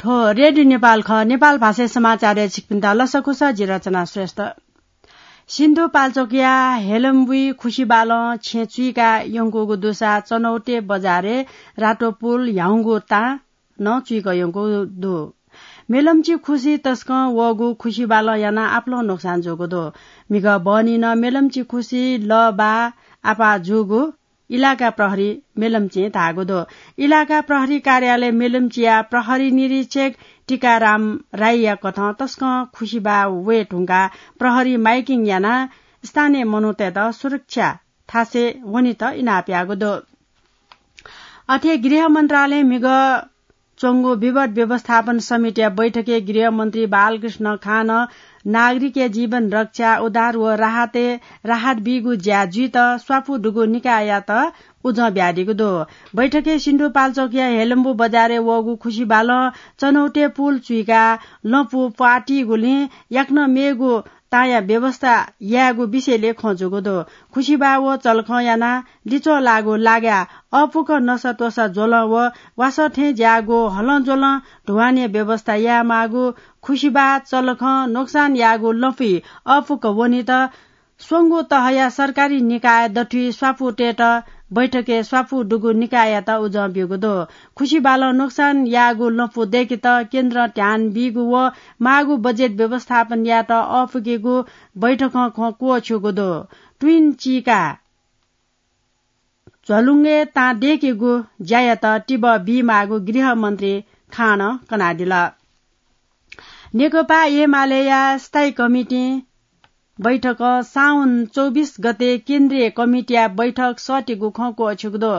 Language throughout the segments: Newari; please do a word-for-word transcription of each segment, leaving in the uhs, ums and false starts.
थ्व रेडियो नेपाल खः। नेपाल भाषाय् समाचारय् छिकपिन्त लसकुस, जि रचना श्रेष्ठ। सिन्धुपाल्चोकया हेलम्बुइ खुसिबालं छेँ चुइका यंकूगु दुसा चनौटे बजारय् रातो पुल ह्याउँगु तां नं चुइक यंकूगु दु। मेलम्ची खुसि तसकं वःगु खुसिबालं यानाः आपालं नोक्सान जूगु दु। म्हिगः बहनी नं मेलम्ची खुसि लः बाः आपाः जूगु इलाका प्रहरी मेलम्चीं धाःगु दु। इलाका प्रहरी कार्यालय मेलम्चीया प्रहरी निरीक्षक टीकाराम राईया कथं तसकं खुसिबाः वये धुंकाः प्रहरी माइकिङ यानाः स्थानीय मनूतय्त सुरक्षा थासय् वनेत इनाप याःगु दु। अथे गृह मन्त्रालयं म्हिगः च्वंगु विवाद व्यवस्थापन समितिया बैठकय् गृहमन्त्री बालकृष्ण खानं नागरिकया जीवन रक्षा, उद्धार व राहतय् राहत बीगु ज्या जुइत स्वापू दुगु निकाययात उजं बियादीगु दु। बैठकय् सिन्धुपाल्चोकया हेलम्बु बजारय् वःगु खुसिबालं चनौटे पुल चुइकाः लँपु प्वाःतीगुलिं याकनं मेगु तांया व्यवस्था यायेगु विषयलय् खँ जूगु दु। खुसिबाः व चलखं यानाः लिच्वः लाःगु लागाय् अःपुक नसात्वसा ज्वलं व वासः थें ज्याःगु हलंज्वलं धुवानया व्यवस्था यायेमाःगु, खुसिबाः चलखं नोक्सान याःगु लँपुइ अःपुक वनेत स्वंगू तहया सरकारी निकाय दथुइ स्वापू तयेत बैठकय् स्वापू दुगु निकाययात उजं ब्यूगु दु। खुसिबालं नोक्सान याःगु लँपु दय्केत केन्द्रं ध्यान बीगु व माःगु बजेट व्यवस्थापन यायेत अःपुकेगु बैठकं खँ क्वःछ्यूगु दु। ट्विन चीका झ्वलुंगय् तां दय्केगु ज्यायात तिबः बीमाःगु गृहमन्त्री खानं कनादिल। नेकपा एमालेया स्थायी कमिटिं बैठकं साउन चौबिस गते केन्द्रीय कमिटिया बैठक सःतेगु खँ क्वःछ्यूगु दु।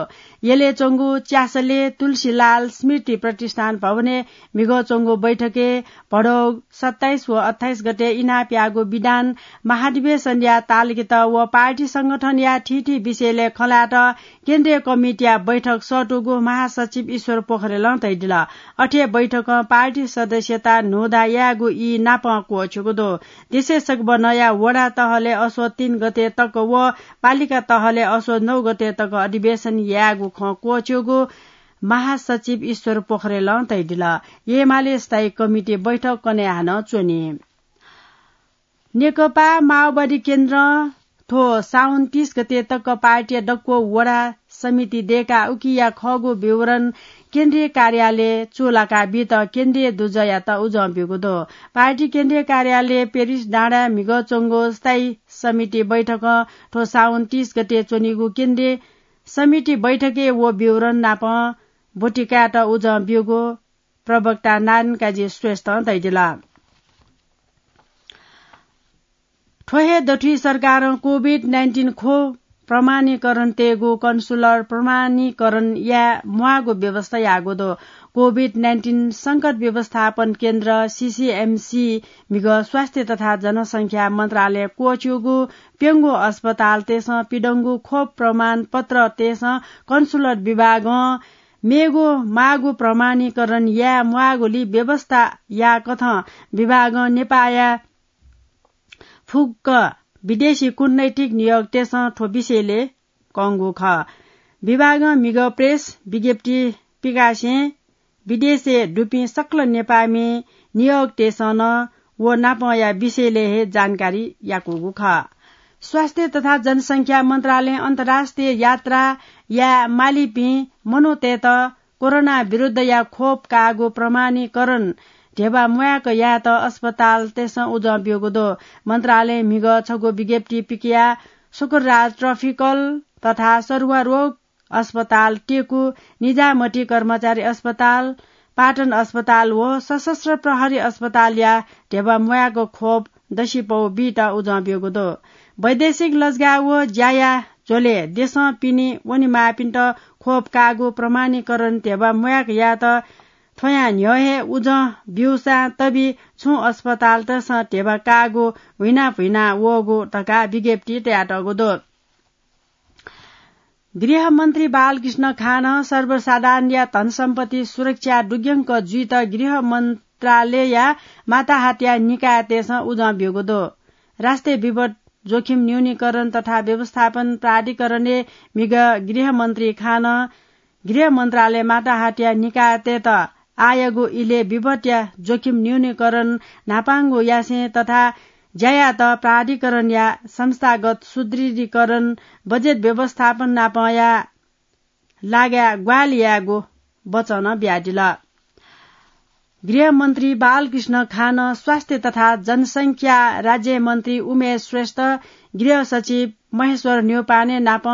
यलय् च्वंगु च्यासलय् तुलसीलाल स्मृति प्रतिष्ठान भवनय् म्हिगः च्वंगु बैठकय् भदौ सत्ताइस व अट्ठाइस गते इनाप याःगु विधान महाधिवेशनया तालिकात व पार्टी संगठनया थीथी विषयलय् खँ ल्हायेत केन्द्रीय कमिटिया बैठक सःतूगु महासचिव ईश्वर पोखरेलं धयादिल। अथे बैठकं पार्टी सदस्यता न्हूदँ यायेगु ई नापं क्वःछ्यूगु दु। देशय् सकभनया वडा तहलय् असोज तीन गते तक व पालिका तहलय् असोज नौ गते तक अधिवेशन यायेगु खँ क्वःछ्यूगु महासचिव ईश्वर पोखरेलं धयादिल। एमाले स्थायी कमिटी बैठक कन्हय् हानं च्वनी। नेकपा माओवादी केन्द्रं थ्व साउन तीस गते तक पार्टीया दक्व वडा समिति दय्काः उकिया खःगु विवरण केन्द्रीय कार्यालय चूलाका बीत केन्द्रीय दुजःयात उजं ब्यूगु दु। पार्टी केन्द्रीय कार्यालय पेरिस डाँडाय् म्हिगः च्वंगु स्थायी समिति बैठकं थ्व साउन तीस गते च्वनीगु केन्द्रीय समिति बैठकय् व विवरण नापं ब्वति कायेत उजं ब्यूगु प्रवक्ता नारायण काजी श्रेष्ठं धयादिल। थ्व हे दथुइ सरकारं कोभिड नाइन्टिन खोप प्रमाणीकरण तयेगु कन्सुलर प्रमाणीकरण याये म्वाःगु व्यवस्था याःगु दु। कोभिड नाइन्टिन संकट व्यवस्थापन केन्द्र, सीसीएमसी, म्हिगः स्वास्थ्य तथा जनसंख्या मन्त्रालयं क्वःछ्यूगु प्यंगू अस्पतालतय्सं पिदंगु खोप प्रमाणपत्रतय्सं कन्सुलर विभागं मेगु माःगु प्रमाणीकरण याये म्वाःगुलिइ व्यवस्था याःकथं विभागं नेपाःया फुक्क विदेशी कूटनैतिक नियोगतय्सं थ्व विषयलय् कंगु खः। विभागं म्हिगः प्रेस विज्ञप्ति पिकासें विदेशय् दुपिं सकल नेपाःमि नियोगतय्सं नं व नापंया विषयलय् हे जानकारी याकूगु खः। स्वास्थ्य तथा जनसंख्या मन्त्रालयं अन्तर्राष्ट्रिय यात्रा याये मालीपिं मनूतय्त कोरोना विरुद्धया खोप काःगु प्रमाणीकरण ध्यबा म्वाय्क यायेत अस्पतालतय्सं उजं ब्यूगु दु। मन्त्रालयं म्हिगः छगू विज्ञप्ति पिकयाः शुक्रराज ट्रपिकल तथा सरुवा रोग अस्पताल, टेकु, निजामती कर्मचारी अस्पताल, पाटन अस्पताल व सशस्त्र प्रहरी अस्पतालया ध्यबा म्वाय्क खोप दसिपौ बीत उजं ब्यूगु दु। वैदेशिक लजगाः व ज्याया झ्वलय् देशं पिने वनेमाःपिन्त खोप काःगु प्रमाणीकरण ध्यबा म्वाय्क यायेत थ्वयां न्ह्यः हे उजं ब्यूसां तबि छुं अस्पतालतय्सं ध्यबा काःगु हुइना भुइना वःगु धकाः विज्ञप्ति तयातःगु दु। गृहमन्त्री बालकृष्ण खानं सर्वसाधारणया धनसम्पत्ति सुरक्षा दुग्यंक जुइत गृह मन्त्रालयया माताहातया निकायतय्सं उजं ब्यूगु दु। राष्ट्रिय विपद जोखिम न्यूनीकरण तथा व्यवस्थापन प्राधिकरणय् म्हिगः गृहमन्त्री खानं गृह मन्त्रालय माताहातया निकायतय्त आःयागु इलय् विपत्या जोखिम न्यूनीकरण न्हापांगु यासें तथा ज्यायात प्राधिकरणया संस्थागत सुदृढीकरण, बजेट व्यवस्थापन नापंया लागाय् ग्वाहालि यायेगु वचन बियादिल। गृहमन्त्री बालकृष्ण खान, स्वास्थ्य तथा जनसंख्या राज्यमन्त्री उमेश श्रेष्ठ, गृह सचिव महेश्वर न्यौपाने नाप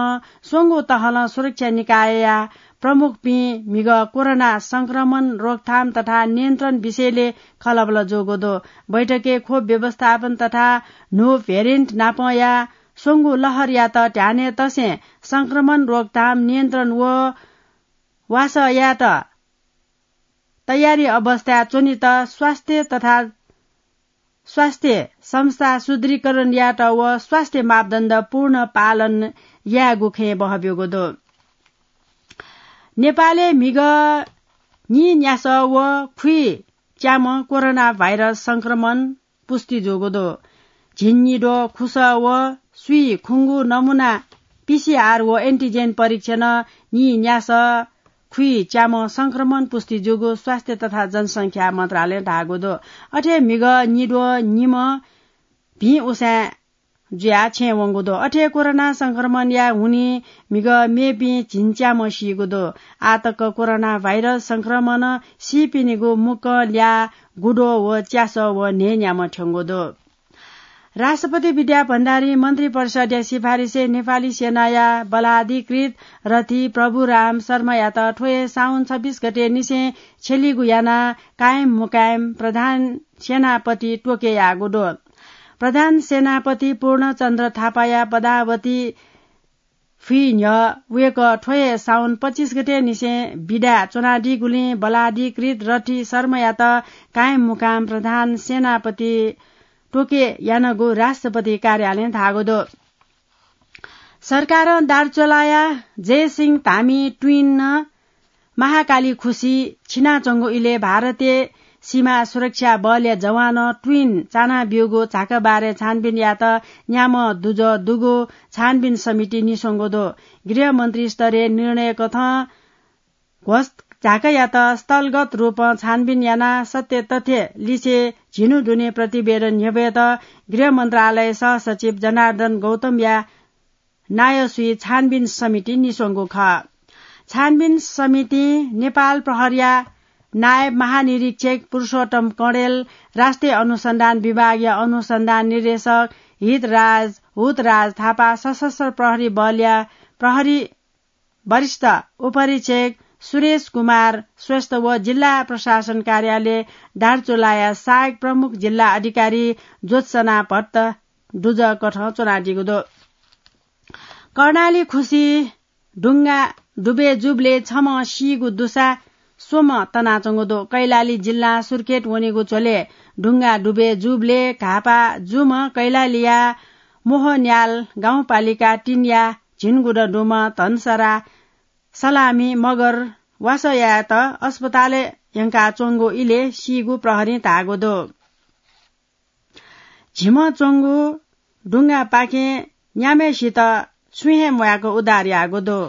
स्वंगू तहलं सुरक्षा निकायया प्रमुखपिं म्हिगः कोरोना संक्रमण रोकथाम तथा नियन्त्रण विषयले खलबल जूगु दु। बैठकय् खोप व्यवस्थापन तथा न्हू भेरिएन्ट नापंया स्वंगू लहरयात ध्यानय् तसें संक्रमण रोकथाम नियन्त्रण व वासः यायेत तयारी अवस्थाय् च्वनेत स्वास्थ्य तथा स्वास्थ्य संस्था सुदृढीकरण यायेत व स्वास्थ्य मापदण्ड पूर्ण पालन यायेगु खँय् बहब्यूगु दु। नेपालय् म्हिगः नीन्यासः व खुइच्याम्ह कोरोना भाइरस संक्रमण पुष्टि जूगु दु। झिंनिद्वः खुसः व स्वीखुंगु नमुना पीसीआर व एन्टिजेन परीक्षणं नीन्यासः खुइच्याम्ह संक्रमण पुष्टि जूगु स्वास्थ्य तथा जनसंख्या मन्त्रालयं धाःगु दु। अथे म्हिगः निद्वः निम्ह भिं उसाँय् जुयाः छेँय् वंगु दु। अथे कोरोना संक्रमणया हुनिं म्हिगः मेपिं झिंच्याम्ह सीगु दु। आः तक कोरोना भाइरस संक्रमणं सीपिनिगु मुक्कं ल्याः गुद्वः व च्यासः व न्हय्‌न्याम्ह थ्यंगु दु। राष्ट्रपति विद्या भण्डारी मन्त्रिपरिषद्या सिफारिसय् नेपाली सेनाया बलाधिकृत रथी प्रभुराम शर्मायात थ्व हे साउन छब्बीस गते निसें छ्यलीगु यानाः कायम मुकायम प्रधान सेनापति तोके याःगु दु। प्रधान सेनापति पूर्णचन्द्र थापाया पदावधि फुइ न्ह्यः वय्‌कः थ्व हे साउन पच्चिस गते निसें बिदाय् च्वनादीगुलिं बलाधिकृत रथी शर्मायात कायम मुकाम प्रधान सेनापति तोके यानागु राष्ट्रपति कार्यालयं धाःगु दु। सरकारं दार्चुलाया जयसिंह धामी ट्विन महाकाली खुसी छिनाच्वंगु इलय् भारतीय सीमा सुरक्षा बलया जवानं ट्विन चानाब्यूगु झाकाबारय् छानबिन यायेत न्याम्ह दुजः दुगु छानबिन समिति निस्वंगु दु। गृहमन्त्री स्तरीय निर्णय कथं घोषझाकायात स्थलगत रूपं छानबिन यानाः सत्य तथ्य लिसे झिन्हु दुने प्रतिवेदन न्ह्यब्वयेत गृह मन्त्रालय सहसचिव जनार्दन गौतमया नायःसुइ छानबिन समिति निस्वंगु खः। छानबिन समितिं नेपाल प्रहरीया नायब महानिरीक्षक पुरुषोत्तम कँडेल, राष्ट्रिय अनुसन्धान विभागया अनुसन्धान निर्देशक हितराज हुतराज थापा, सशस्त्र प्रहरी बलया प्रहरी वरिष्ठ उपरीक्षक सुरेश कुमार श्रेष्ठ व जिल्ला प्रशासन कार्यालय दार्चुलाया सहायक प्रमुख जिल्ला अधिकारी ज्योत्सना भट्ट दुजः कथं च्वनादीगु दु। कर्णाली खुसी ढुङ्गा डुबे जूबलय् छम्ह सीगु दुसा स्वम्ह तनाच्वंगु दु। कैलाली जिल्ला सुर्खेत वनेगु झ्वलय् ढुङ्गा डुबे जूबलय् घाःपाः जूम्ह कैलालीया मोहन्याल गाउँपालिका तीनया झिंगुदँ दुम्ह धनसरा सलामी मगर वासः यायेत अस्पतालय् यंकाच्वंगु इलय् सीगु प्रहरीं धाःगु दु। झिम्ह च्वंगु ढुङ्गापाखें न्याम्हय्‌सित छुं हे म्वायेक उद्धार याःगु दु।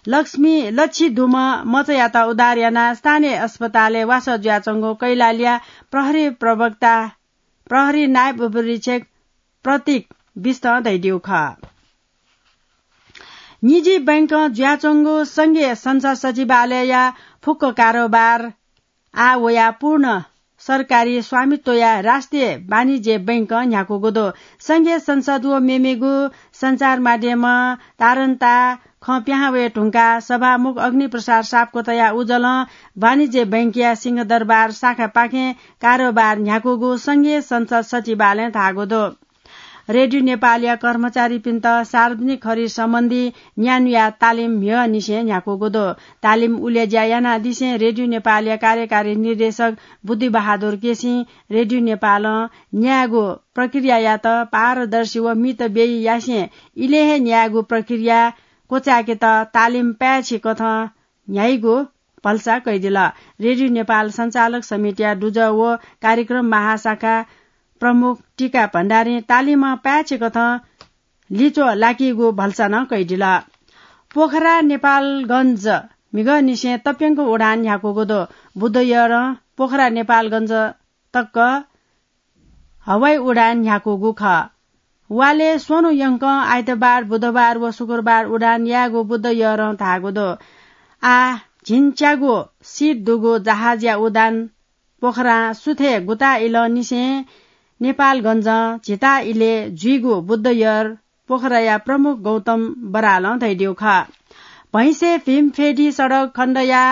लक्ष्मी लच्छी दुम्ह मचायात उद्धार यानाः स्थानीय अस्पतालय् वासः जुयाच्वंगु कैलालीया प्रहरी प्रवक्ता, प्रहरी नायब उपरीक्षक प्रतीक बिष्टं धयादीगु खः। निजी बैंकं जुयाच्वंगु संघीय संसद सचिवालयया फुक्क कारोबार आः वयाः पूर्ण सरकारी स्वामित्वया राष्ट्रिय वाणिज्य बैंकं न्ह्याकूगु दु। संघीय संसद व मेमेगु सञ्चार माध्यमं तारन्ता खँ पिहां वये धुंकाः सभामुख अग्निप्रसाद सापकोटाया उजलं वाणिज्य बैंकया सिंहदरबार शाखापाखें कारोबार न्ह्याकूगु संघीय संसद सचिवालयं धाःगु दु। रेडियो नेपालया कर्मचारीपिन्त सार्वजनिक खरिद सम्बन्धी न्यान्हुया तालिम म्हिगःनिसें न्ह्याकूगु दु। तालिम उलेज्या यानादिसें रेडियो नेपालया कार्यकारी निर्देशक बुद्धिबहादुर केसीं रेडियो नेपालं न्यायेगु प्रक्रियायात पारदर्शी व मितव्ययी यासें इलय् हे न्यायेगु प्रक्रिया क्वचायेकेत तालिम पाय्‌छि कथं न्ह्याइगु भलसा कयादिल। रेडियो नेपाल सञ्चालक समितिया दुजः व कार्यक्रम महाशाखा प्रमुख टीका भण्डारीं तालिमं पाय्‌छि कथं लिच्वः लाकीगु भलसा नं कयादिल। पोखरा नेपालगञ्ज म्हिगःनिसें तप्यंक उडान न्ह्याकूगु दु। बुधयरं पोखरा नेपालगञ्ज तक हवाई उडान न्ह्याकूगु खः। वालय् स्वन्हु यंकं आइतबार, बुधबार व शुक्रबार उडान यायेगु बुधयरं धाःगु दु। आः झिंच्यागु सिट दुगु जहाजया उडान पोखरां सुथय् गुता इलंनिसें नेपालगञ्जं झिता इलय् जुइगु बुधयर पोखराया प्रमुख गौतम बरालं धयादीगु खः। भैंसे भीमफेदी सडक खण्डया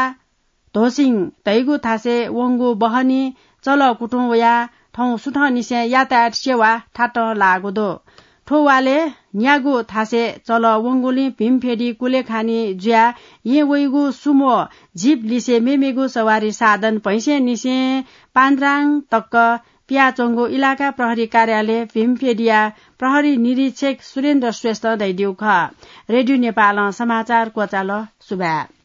धोसिङ धइगु थासय् वंगु बहनी चलः कुतुं वयाः थौं सुथंनिसें यातायात सेवा थातं लाःगु दु। थ्व वालय् न्यागू थासय् चलः वंगुलिं भीमफेदी कुलेखानी जुयाः येँ वइगु सुमो, जिप लिसे मेमेगु सवारी साधन भैंसेंनिसें पान्द्राङ तक पियाच्वंगु इलाका प्रहरी कार्यालय भीमफेदीया प्रहरी निरीक्षक सुरेन्द्र श्रेष्ठं धयादीगु खः। रेडियो नेपालं समाचार क्वचाल। सुभाय्।